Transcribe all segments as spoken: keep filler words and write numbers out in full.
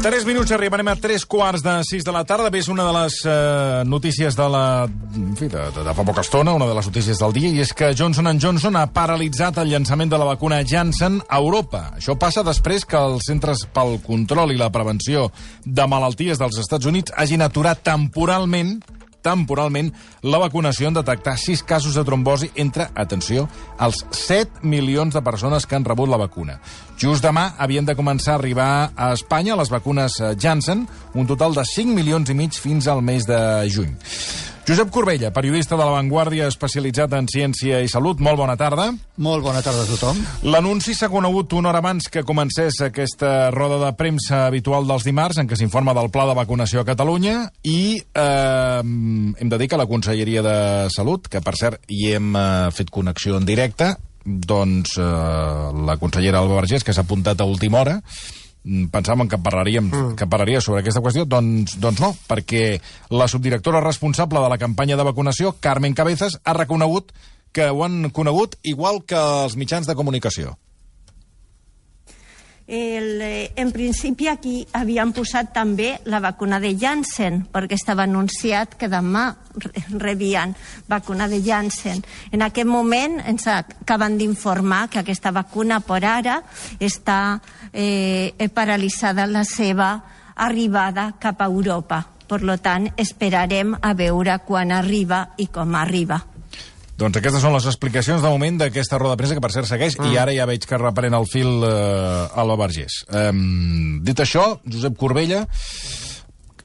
Tres minuts, arribarem a tres quarts de sis de la tarda. Bé, és una de les eh, notícies de la... En fi, de, de, de fa poca estona, una de les notícies del dia, i és que Johnson and Johnson ha paralitzat el llançament de la vacuna Janssen a Europa. Això passa després que els Centres pel Control i la Prevenció de Malalties dels Estats Units hagin aturat temporalment temporalment la vacunació en detectar sis casos de trombosi entre, atenció, els set milions de persones que han rebut la vacuna. Just demà havien de començar a arribar a Espanya les vacunes Janssen, un total de cinc milions i mig fins al mes de juny. Josep Corbella, periodista de La Vanguardia especialitzat en ciència i salut, molt bona tarda. Molt bona tarda a tothom. L'anunci s'ha conegut una hora abans que comencés aquesta roda de premsa habitual dels dimarts en què s'informa del pla de vacunació a Catalunya i eh, hem de dir que la Conselleria de Salut, que per cert hi hem eh, fet connexió en directe, doncs eh, la consellera Alba Vergés, que s'ha apuntat a última hora, pensàvem que parlaríem mm. que parlaria sobre aquesta qüestió, doncs, doncs no, perquè la subdirectora responsable de la campanya de vacunació, Carmen Cabezas, ha reconegut que ho han conegut igual que els mitjans de comunicació. El, eh, en principi aquí havien posat també la vacuna de Janssen, perquè estava anunciat que demà rebien vacuna de Janssen. En aquest moment ens acaben d'informar que aquesta vacuna per ara està eh, paralitzada la seva arribada cap a Europa. Per tant, esperarem a veure quan arriba i com arriba. Doncs aquestes són les explicacions de moment d'aquesta roda de premsa, que per cert segueix, mm. i ara ja veig que reprèn el fil eh, Alba Vergés. Um, dit això, Josep Corbella,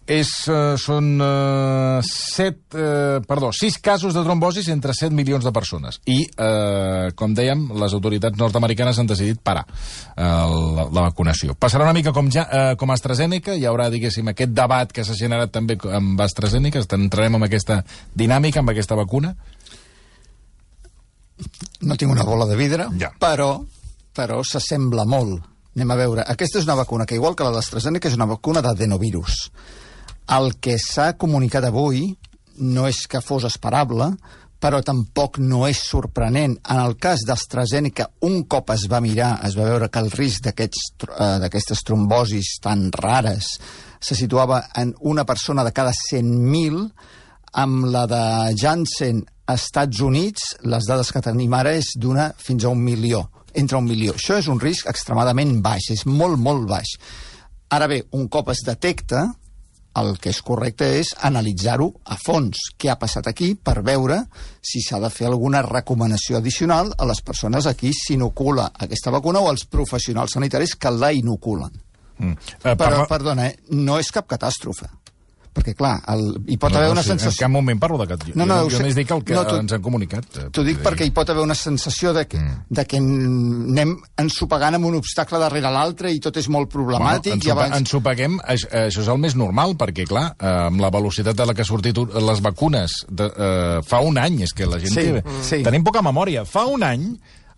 és, uh, són uh, set, uh, perdó, sis casos de trombosis entre set milions de persones. I, uh, com dèiem, les autoritats nord-americanes han decidit parar uh, la, la vacunació. Passarà una mica com, ja, uh, com AstraZeneca, hi haurà, diguéssim, aquest debat que s'ha generat també amb AstraZeneca, entrarem en aquesta dinàmica, amb aquesta vacuna. No tinc una bola de vidre, ja. però, però s'assembla molt. Anem a veure. Aquesta és una vacuna que, igual que la d'AstraZeneca, és una vacuna d'adenovirus. El que s'ha comunicat avui no és que fos esperable, però tampoc no és sorprenent. En el cas d'AstraZeneca, un cop es va mirar, es va veure que el risc d'aquestes trombosis tan rares se situava en una persona de cada cent mil. Amb la de Janssen a Estats Units, les dades que tenim ara és d'una fins a un milió, entre un milió. Això és un risc extremadament baix, és molt, molt baix. Ara bé, un cop es detecta, el que és correcte és analitzar-ho a fons. Què ha passat aquí per veure si s'ha de fer alguna recomanació addicional a les persones a qui s'inocula aquesta vacuna o als professionals sanitaris que la inoculen. Mm. Uh, Però, perdona, eh, no és cap catàstrofe. Perquè, clar, el, hi pot no, haver no, una sí, sensació... En cap moment parlo de cap... No, no, jo jo només dic el que no, ens han comunicat. T'ho dic perquè hi pot haver una sensació de que, mm. de que anem ensopegant amb un obstacle darrere l'altre i tot és molt problemàtic. Bueno, i abans... ensopeguem, això és el més normal, perquè, clar, amb la velocitat de la que ha sortit les vacunes de, uh, fa un any, és que la gent... Sí, té... sí. Tenim poca memòria. Fa un any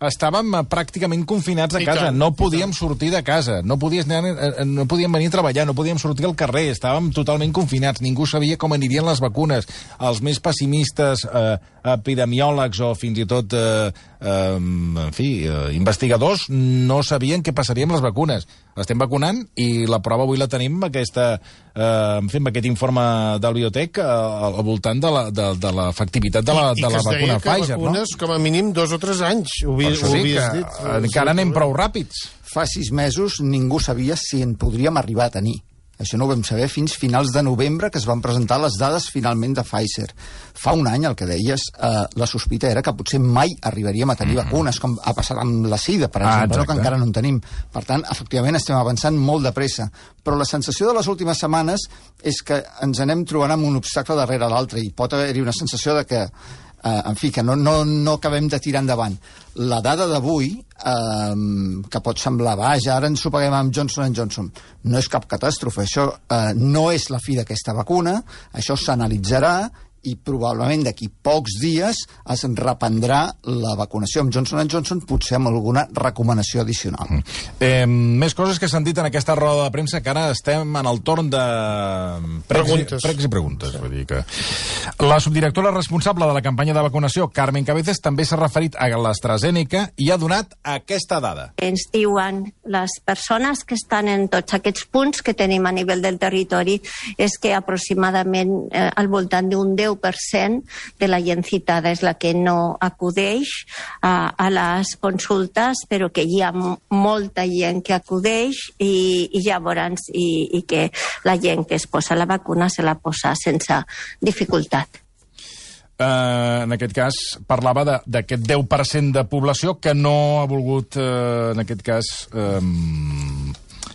estàvem pràcticament confinats a casa, no podíem sortir de casa, no, podies anar, no podíem venir a treballar, no podíem sortir al carrer, estàvem totalment confinats, ningú sabia com anirien les vacunes. Els més pessimistes, eh, epidemiòlegs o fins i tot eh, eh, en fi, eh, investigadors no sabien què passaria amb les vacunes. Estem vacunant i la prova avui la tenim amb, aquesta, eh, en fi, amb aquest informe del Biotech eh, al voltant de l'efectivitat de, la, de, la, de la vacuna Pfizer. I que vacunes, no? Com a mínim dos o tres anys. Ho per això dic que dit, encara anem prou ràpids. Fa sis mesos ningú sabia si en podríem arribar a tenir. Això no ho vam saber fins finals de novembre, que es van presentar les dades finalment de Pfizer. Fa un any, el que deies, eh, la sospita era que potser mai arribaríem a tenir mm. vacunes, com ha passat amb la sida, per exemple, ah, no, que encara no en tenim. Per tant, efectivament, estem avançant molt de pressa. Però la sensació de les últimes setmanes és que ens anem trobant amb un obstacle darrere l'altre i pot haver-hi una sensació de que Uh, en fi, que no, no, no acabem de tirar endavant. La dada d'avui, uh, que pot semblar vaja, ara ens ho paguem amb Johnson and Johnson, no és cap catàstrofe. Això uh, no és la fi d'aquesta vacuna, això s'analitzarà i probablement d'aquí pocs dies es reprendrà la vacunació amb Johnson and Johnson, potser amb alguna recomanació addicional. Mm. Eh, més coses que s'han dit en aquesta roda de premsa, que ara estem en el torn de preguntes. Pregs i preguntes. Vull dir que... La subdirectora responsable de la campanya de vacunació, Carmen Cabezas, també s'ha referit a l'AstraZeneca i ha donat aquesta dada. Ens diuen les persones que estan en tots aquests punts que tenim a nivell del territori és que aproximadament eh, al voltant d'un deu per cent de la gent citada és la que no acudeix a, a les consultes, però que hi ha molta gent que acudeix i, i llavors i, i que la gent que es posa la vacuna se la posa sense dificultat. Uh, en aquest cas, parlava d'aquest deu per cent de població que no ha volgut, uh, en aquest cas, um,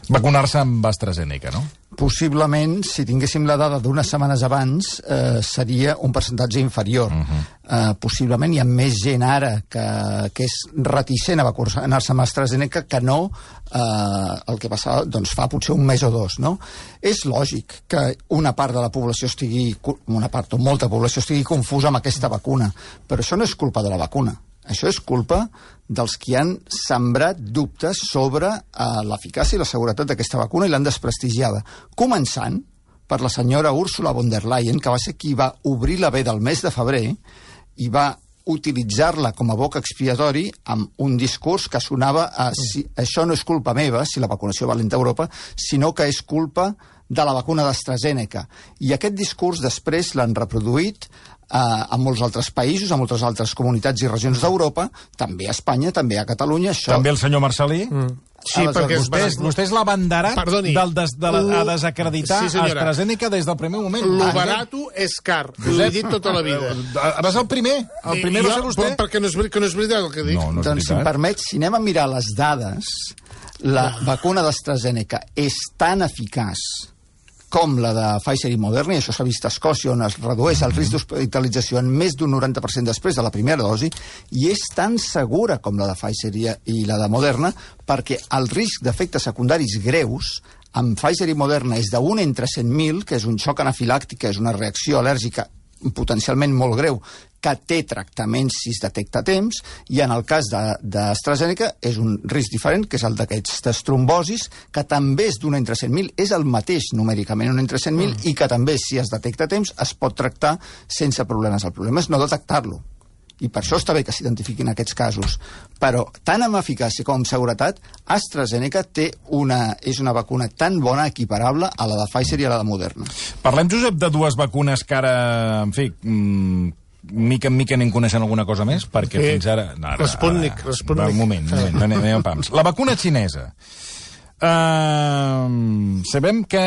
vacunar-se amb AstraZeneca, no? Possiblement, si tinguéssim la dada d'unes setmanes abans, eh, seria un percentatge inferior. Uh-huh. eh, possiblement hi ha més gent ara que, que és reticent a vacunar-se amb AstraZeneca que no eh, el que passava doncs, fa potser un mes o dos. No? És lògic que una part de la població estigui, una part o molta població estigui confusa amb aquesta vacuna, però això no és culpa de la vacuna. Això és culpa dels que han sembrat dubtes sobre eh, l'eficàcia i la seguretat d'aquesta vacuna i l'han desprestigiada. Començant per la senyora Ursula von der Leyen, que va ser qui va obrir la ve del mes de febrer i va utilitzar-la com a boc expiatori amb un discurs que sonava a si, això no és culpa meva, si la vacunació va lenta a Europa, sinó que és culpa de la vacuna d'AstraZeneca. I aquest discurs després l'han reproduït Uh, en molts altres països, en moltes altres comunitats i regions d'Europa, també a Espanya, també a Catalunya. Això... També el senyor Marcelí? Mm. Sí, perquè vostès, vostès l'abanderat del des, de la, a desacreditar sí, AstraZeneca des del primer moment. Lo barato és car, ho he dit tota la vida. Vas el primer, el primer va ser vostè. Perquè no és, que no és veritat el que dic. No, no és doncs, si em permet, si anem a mirar les dades, la vacuna d'AstraZeneca és tan eficaç com la de Pfizer i Moderna, i això s'ha vist a Escòcia, on es redueix el risc d'hospitalització en més d'un noranta per cent després de la primera dosi, i és tan segura com la de Pfizer i la de Moderna, perquè el risc d'efectes secundaris greus amb Pfizer i Moderna és d'un entre cent mil, que és un xoc anafilàctic, que és una reacció al·lèrgica potencialment molt greu, que té tractaments si es detecta a temps, i en el cas d'AstraZeneca és un risc diferent, que és el d'aquestes trombosis, que també és d'un entre cent mil, és el mateix numèricament, un entre cent mil, mm. i que també, si es detecta a temps, es pot tractar sense problemes. El problema és no detectar-lo. I per això està bé que s'identifiquin aquests casos. Però, tant amb eficàcia com amb seguretat, AstraZeneca té una, és una vacuna tan bona, equiparable a la de Pfizer i a la de Moderna. Parlem, Josep, de dues vacunes que ara, en fi, mmm, mica en mica anem coneixent alguna cosa més, perquè eh, fins ara... No, ara Respònic, respònic. Un moment, un moment, anem, anem pams. La vacuna xinesa. Uh, sabem que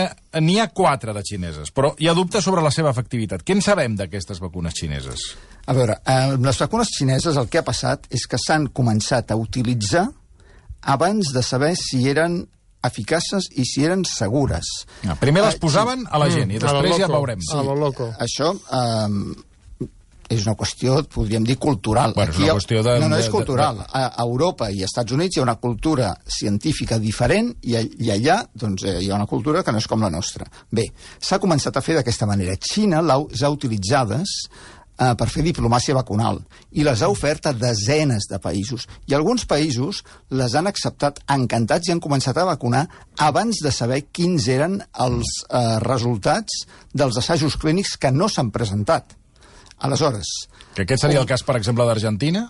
n'hi ha quatre de xineses, però hi ha dubtes sobre la seva efectivitat. Què en sabem d'aquestes vacunes xineses? A veure, eh, les vacunes xineses el que ha passat és que s'han començat a utilitzar abans de saber si eren eficaces i si eren segures. Ah, primer les posaven a la gent mm, i després ja veurem. Sí, a lo loco. Això eh, és una qüestió, podríem dir, cultural. Bueno, és una qüestió de... No, no és cultural. A Europa i als Estats Units hi ha una cultura científica diferent i, i allà doncs, hi ha una cultura que no és com la nostra. Bé, s'ha començat a fer d'aquesta manera. Xina les ha utilitzades eh, per fer diplomàcia vacunal i les ha ofert a desenes de països. I alguns països les han acceptat encantats i han començat a vacunar abans de saber quins eren els eh, resultats dels assajos clínics que no s'han presentat. Aleshores... Que aquest seria el cas, per exemple, d'Argentina?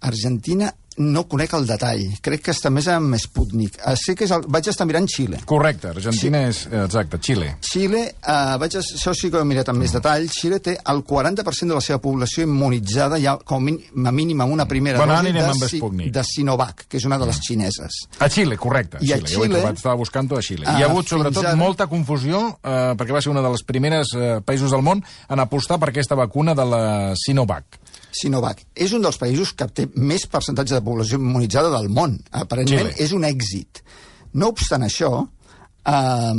Argentina no conec el detall. Crec que està més amb Sputnik. Sé que és el... Vaig estar mirant Xile. Correcte, Argentina sí. és... Exacte, Xile. Xile, eh, vaig a... això sí que ho he mirat amb mm. més detall. Xile té el quaranta per cent de la seva població immunitzada ja com a mínim amb una primera bueno, dosi de, si... de Sinovac, que és una de les xineses. A Xile, correcte. I Xile. a Xile... Jo ho he trobat, estava buscant-ho a Xile. Uh, Hi ha hagut, sobretot, ara... molta confusió, eh, perquè va ser una de les primeres eh, països del món en apostar per aquesta vacuna de la Sinovac. Sinovac. És un dels països que té més percentatge de població immunitzada del món. Aparentment Xile. És un èxit. No obstant això, eh,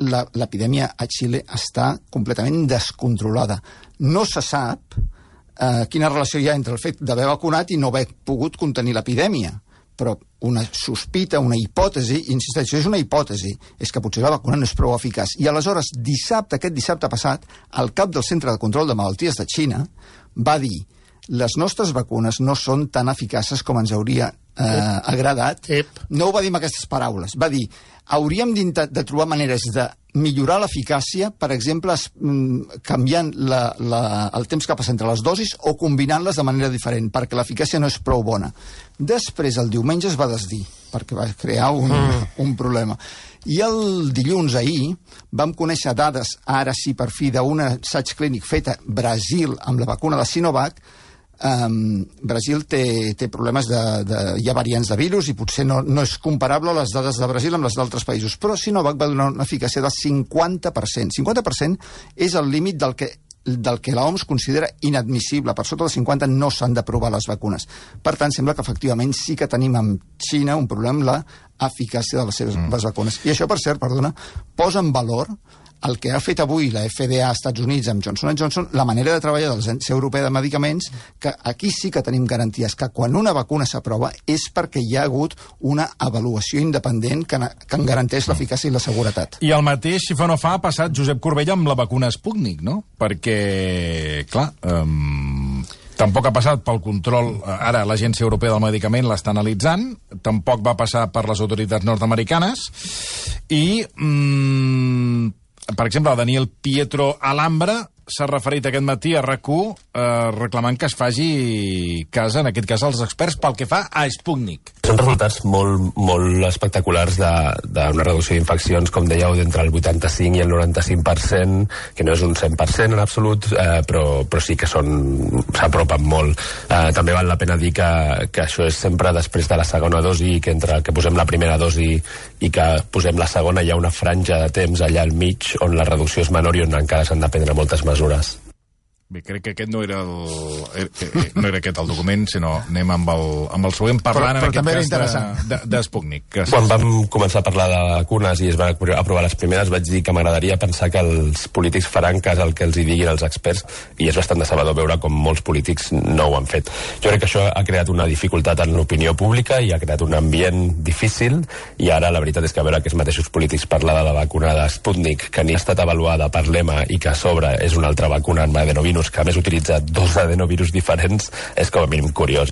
l'epidèmia a Xile està completament descontrolada. No se sap eh, quina relació hi ha entre el fet d'haver vacunat i no haver pogut contenir l'epidèmia, però una sospita, una hipòtesi, insisteixo, és una hipòtesi, és que potser la vacuna no és prou eficaç. I aleshores, dissabte, aquest dissabte passat, el cap del Centre de Control de Malalties de Xina va dir les nostres vacunes no són tan eficaces com ens hauria eh, agradat. Ep. No ho va dir amb aquestes paraules. Va dir, hauríem de trobar maneres de millorar l'eficàcia, per exemple, es, mm, canviant la, la, el temps que passa entre les dosis o combinant-les de manera diferent, perquè l'eficàcia no és prou bona. Després, el diumenge es va desdir, perquè va crear un, mm. un problema. I el dilluns, ahir, vam conèixer dades, ara sí per fi, d'un assaig clínic fet a Brasil amb la vacuna de Sinovac. Um, Brasil té, té problemes de, de... hi ha variants de virus i potser no, no és comparable les dades de Brasil amb les d'altres països, però Sinovac va donar una eficàcia del cinquanta per cent. cinquanta per cent és el límit del que, del que l'O M S considera inadmissible. Per sota del cinquanta no s'han d'aprovar les vacunes. Per tant, sembla que efectivament sí que tenim amb Xina un problema amb l'eficàcia de les seves mm. les vacunes. I això, per cert, perdona, posa en valor el que ha fet avui la F D A als Estats Units amb Johnson and Johnson, la manera de treballar de l'Agència Europea de Medicaments, que aquí sí que tenim garanties que quan una vacuna s'aprova és perquè hi ha hagut una avaluació independent que, que en garanteix l'eficàcia i la seguretat. I el mateix, si fa no fa, ha passat Josep Corbella amb la vacuna Sputnik, no? Perquè, clar... Um... Tampoc ha passat pel control... Ara l'Agència Europea del Medicament l'està analitzant, tampoc va passar per les autoritats nord-americanes, i, mmm, per exemple, el Daniel Pietro Alhambra s'ha referit aquest matí a RAC u eh, reclamant que es faci cas, en aquest cas, als experts pel que fa a Sputnik. Són resultats molt, molt espectaculars d'una reducció d'infeccions, com dèieu, d'entre el vuitanta-cinc i el noranta-cinc per cent, que no és un cent per cent en absolut, eh, però, però sí que s'apropen molt. Eh, també val la pena dir que, que això és sempre després de la segona dosi, que entre que posem la primera dosi i que posem la segona hi ha una franja de temps allà al mig on la reducció és menor i on encara s'han de prendre moltes mesures. Bé, crec que aquest no era el, no era aquest el document, sinó anem amb el, amb el següent parlant, però, però en aquest cas, de, de, de Sputnik. Quan vam començar a parlar de vacunes i es van aprovar les primeres, vaig dir que m'agradaria pensar que els polítics faran cas al que els hi diguin els experts, i és bastant decebedor veure com molts polítics no ho han fet. Jo crec que això ha creat una dificultat en l'opinió pública i ha creat un ambient difícil, i ara la veritat és que veure aquests mateixos polítics parlar de la vacuna de Sputnik, que ni ha estat avaluada per l'E M A i que a sobre és una altra vacuna en adenovirus que a més utilitza dos adenovirus diferents, és com a mínim curiós.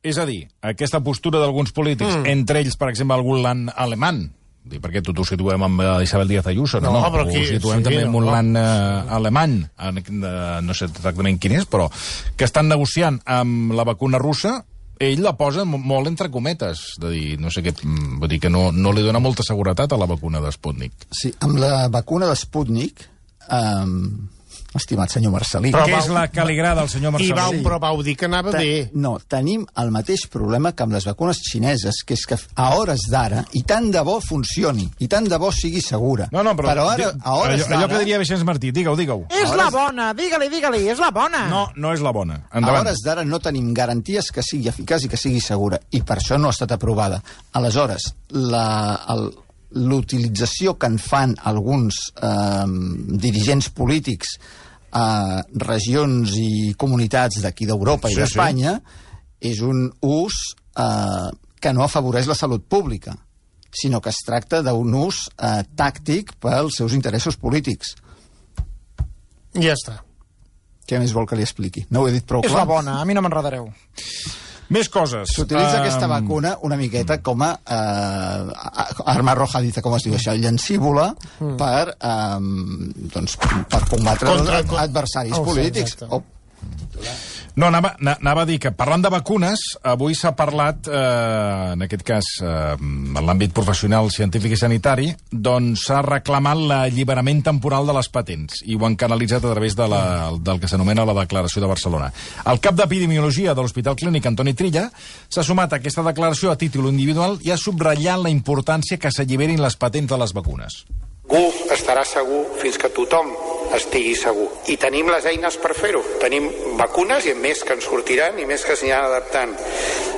És a dir, aquesta postura d'alguns polítics, mm. entre ells, per exemple, algun land alemany, perquè tot ho situem amb Isabel Díaz Ayuso, no? No, no? però aquí... Ho situem sí, també amb un no. land uh, alemany, no sé exactament quin és, però que estan negociant amb la vacuna russa. Ell la posa molt entre cometes, de dir, no sé què, vull dir que no, no li dona molta seguretat a la vacuna de Sputnik. Sí, amb la vacuna de Sputnik, um, estimat senyor Marcelí... Però què és la que li agrada al senyor Marcelí? I vau, però vau dir que anava Te, bé. No, tenim el mateix problema que amb les vacunes xineses, que és que a hores d'ara, i tant de bo funcioni, i tant de bo sigui segura. No, no, però... però ara, a hores allò, allò que diria Vicenç Martí, digue-ho, digue-ho. És hores... la bona, digue-li, digue-li, és la bona. No, no és la bona. Endavant. A hores d'ara no tenim garanties que sigui eficaç i que sigui segura, i per això no ha estat aprovada. Aleshores, la... El, l'utilització que en fan alguns eh, dirigents polítics a regions i comunitats d'aquí d'Europa i sí, d'Espanya sí. és un ús eh, que no afavoreix la salut pública, sinó que es tracta d'un ús eh, tàctic pels seus interessos polítics. Ja està. Què més vol que li expliqui? No ho he dit prou clar? És la bona, a mi no m'enredareu. Més coses. S'utilitza um... aquesta vacuna una miqueta com a uh, arma arrojadiza, com es diu això, llancívola, mm. per, um, doncs, per combatre Contra... adversaris oh, polítics. Sí, o... No, anava, anava a dir que, parlant de vacunes, avui s'ha parlat, eh, en aquest cas, eh, en l'àmbit professional, científic i sanitari, doncs s'ha reclamat l'alliberament temporal de les patents, i ho han canalitzat a través de la, del que s'anomena la Declaració de Barcelona. El cap d'Epidemiologia de l'Hospital Clínic, Antoni Trilla, s'ha sumat a aquesta declaració a títol individual i ha subratllat la importància que s'alliberin les patents de les vacunes. Ningú estarà segur fins que tothom estigui segur. I tenim les eines per fer-ho. Tenim vacunes i més que en sortiran i més que s'aniran adaptant.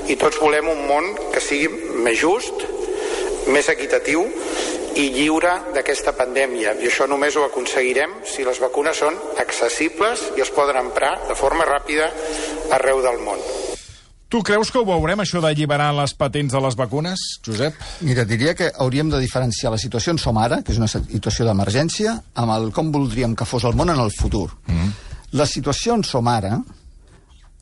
I tots volem un món que sigui més just, més equitatiu i lliure d'aquesta pandèmia. I això només ho aconseguirem si les vacunes són accessibles i es poden emprar de forma ràpida arreu del món. Tu creus que ho veurem, això d'alliberar les patents de les vacunes, Josep? Mira, diria que hauríem de diferenciar la situació on som ara, que és una situació d'emergència, amb el com voldríem que fos el món en el futur. Mm. La situació on som ara,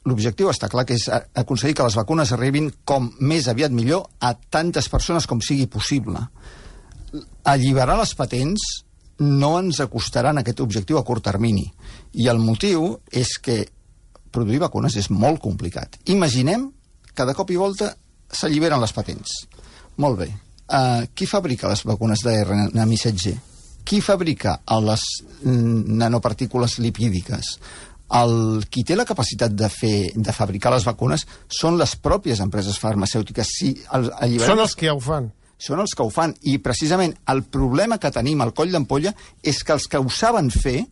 l'objectiu està clar, que és aconseguir que les vacunes arribin com més aviat millor a tantes persones com sigui possible. Alliberar les patents no ens acostarà en aquest objectiu a curt termini. I el motiu és que produir vacunes és molt complicat. Imaginem que de cop i volta s'alliberen les patents. Molt bé. Uh, qui fabrica les vacunes d'R N A missatger? Qui fabrica les nanopartícules lipídiques? El, qui té la capacitat de, fer, de fabricar les vacunes són les pròpies empreses farmacèutiques. Si el, són els que ja ho fan. Són els que ho fan. I precisament el problema que tenim al coll d'ampolla és que els que ho saben fer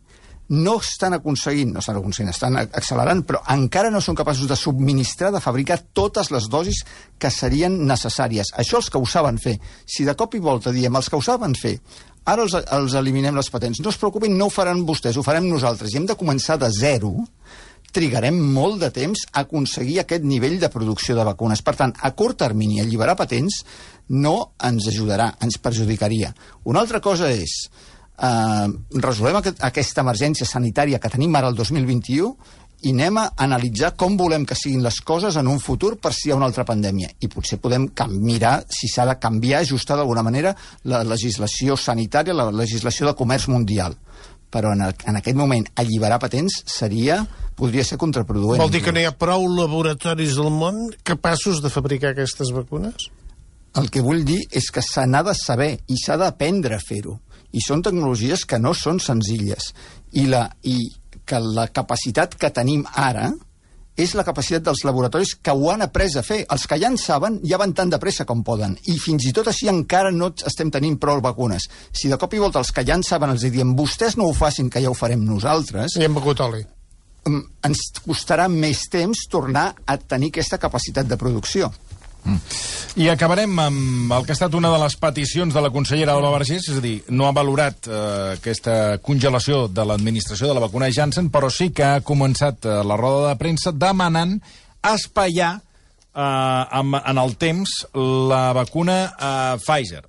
no estan aconseguint, no estan aconseguint, estan accelerant, però encara no són capaços de subministrar, de fabricar totes les dosis que serien necessàries. Això els que ho saben fer. Si de cop i volta diem els que ho saben fer, ara els, els eliminem les patents, no es preocupin, no ho faran vostès, ho farem nosaltres, i hem de començar de zero, trigarem molt de temps a aconseguir aquest nivell de producció de vacunes. Per tant, a curt termini, alliberar patents no ens ajudarà, ens perjudicaria. Una altra cosa és Uh, resolem aquest, aquesta emergència sanitària que tenim ara el dos mil vint-i-u i anem a analitzar com volem que siguin les coses en un futur per si hi ha una altra pandèmia. I potser podem mirar si s'ha de canviar, ajustar d'alguna manera la legislació sanitària, la legislació de comerç mundial. Però en, el, en aquest moment alliberar patents seria, podria ser contraproduent. Vol dir que no hi ha prou laboratoris del món capaços de fabricar aquestes vacunes? El que vull dir és que se n'ha de saber i s'ha d'aprendre a fer-ho. I són tecnologies que no són senzilles. I, la, i que la capacitat que tenim ara és la capacitat dels laboratoris que ho han après a fer. Els que ja en saben ja van tan de pressa com poden. I fins i tot així encara no estem tenint prou vacunes. Si de cop i volta els que ja en saben els diem vostès no ho facin, que ja ho farem nosaltres... I hem begut oli. Ens costarà més temps tornar a tenir aquesta capacitat de producció. Mm. I acabarem amb el que ha estat una de les peticions de la consellera Alba Vergés, és a dir, no ha valorat eh, aquesta congelació de l'administració de la vacuna Janssen, però sí que ha començat eh, la roda de premsa demanant espaiar eh, amb, en el temps la vacuna eh, Pfizer.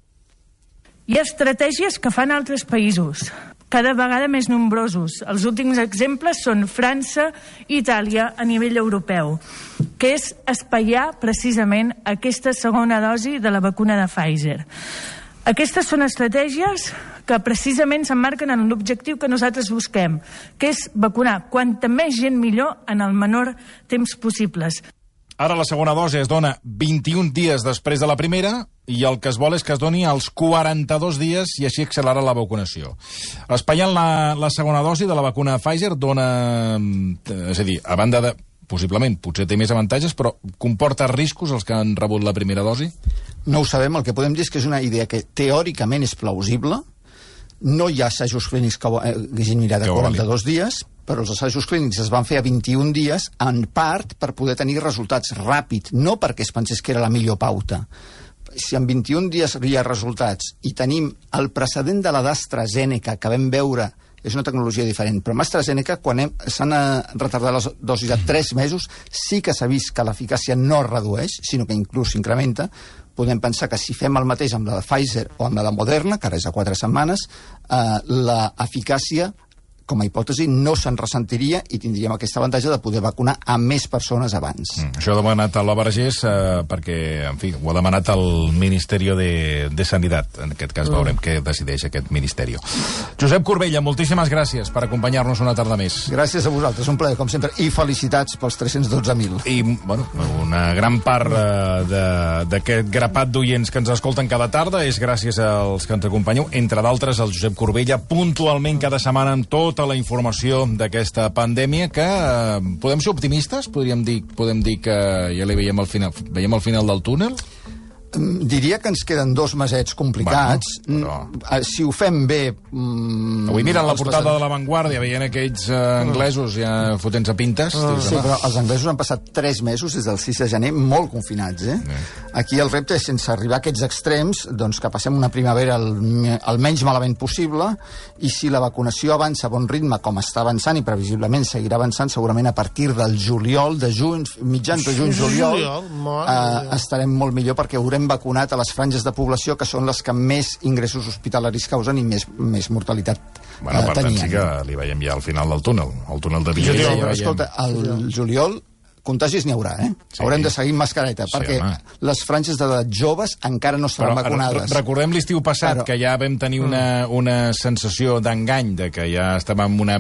Hi ha estratègies que fan altres països, cada vegada més nombrosos. Els últims exemples són França i Itàlia a nivell europeu, que és espaiar precisament aquesta segona dosi de la vacuna de Pfizer. Aquestes són estratègies que precisament s'emmarquen en l'objectiu que nosaltres busquem, que és vacunar quanta més gent millor en el menor temps possibles. Ara la segona dosi es dona vint-i-un dies després de la primera i el que es vol és que es doni als quaranta-dos dies i així accelerar la vacunació. Espaiant la, la segona dosi de la vacuna Pfizer dona... És a dir, a banda de... Possiblement, potser té més avantatges, però comporta riscos els que han rebut la primera dosi? No ho sabem, el que podem dir és que és una idea que teòricament és plausible. No hi ha assajos clínics que hagin mirat a quaranta-dos dies, però els assajos clínics es van fer a vint-i-un dies, en part per poder tenir resultats ràpid, no perquè es pensés que era la millor pauta. Si en vint-i-un dies hi ha resultats i tenim el precedent de la d'AstraZeneca que vam veure, és una tecnologia diferent, però amb AstraZeneca, quan s'han retardat les dosis a tres mesos, sí que s'ha vist que l'eficàcia no es redueix, sinó que inclús s'incrementa. Podem pensar que si fem el mateix amb la de Pfizer o amb la de Moderna, que ara és a quatre setmanes, eh, l'eficàcia, com a hipòtesi, no se'n ressentiria i tindríem aquest avantatge de poder vacunar a més persones abans. Mm, això ha demanat a la Vergés eh, perquè, en fi, ho ha demanat el Ministeri de, de Sanitat. En aquest cas veurem mm. què decideix aquest Ministeri. Josep Corbella, moltíssimes gràcies per acompanyar-nos una tarda més. Gràcies a vosaltres, un plaer, com sempre, i felicitats pels tres-cents dotze mil. I, bueno, una gran part eh, d'aquest grapat d'oients que ens escolten cada tarda és gràcies als que ens acompanyeu, entre d'altres el Josep Corbella, puntualment cada setmana amb tota la informació d'aquesta pandèmia, que eh, podem ser optimistes? Podríem dir, podem dir que ja li veiem al final, veiem al final del túnel? Diria que ens queden dos mesets complicats. Bueno, però... Si ho fem bé... Mm, Avui miren la portada de La Vanguardia, veient aquells eh, anglesos ja fotent-se pintes. Uh, sí, però els anglesos han passat tres mesos des del sis de gener molt confinats, eh? Sí. Aquí el repte és, sense arribar a aquests extrems, doncs que passem una primavera el, el menys malament possible, i si la vacunació avança a bon ritme, com està avançant, i previsiblement seguirà avançant, segurament a partir del juliol, de juny, mitjans de juny, juliol, eh, estarem molt millor, perquè haurem vacunat a les franges de població que són les que més ingressos hospitalaris causen i més, més mortalitat bueno, eh, per tant, tenien. sí que li veiem ja al final del túnel, el túnel de Villa. Sí, ja escolta, al juliol contagis n'hi haurà, eh? Sí. Haurem de seguir amb mascareta, sí, perquè home. Les franges d'edat joves encara no estaran Però, vacunades. Recordem l'estiu passat, Però... que ja vam tenir una, una sensació d'engany, de que ja estàvem en una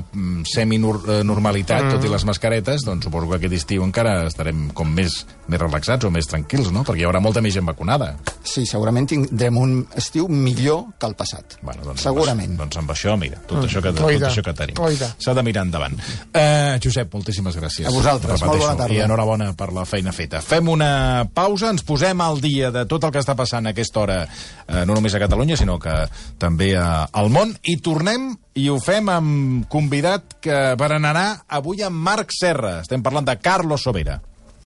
semi-normalitat, mm. tot i les mascaretes, doncs suposo que aquest estiu encara estarem com més, més relaxats o més tranquils, no? Perquè hi haurà molta més gent vacunada. Sí, segurament tindrem un estiu millor que el passat. Bueno, doncs, segurament. Doncs amb això, mira, tot, mm. això, que, tot això que tenim. S'ha de mirar endavant. Uh, Josep, moltíssimes gràcies. A vosaltres, Repeteixo. molt bona tarda. I enhorabona per la feina feta. Fem una pausa, ens posem al dia de tot el que està passant a aquesta hora, eh, no només a Catalunya, sinó que també a, al món, i tornem, i ho fem amb convidat que berenarà avui amb Marc Serra. Estem parlant de Carlos Sobera.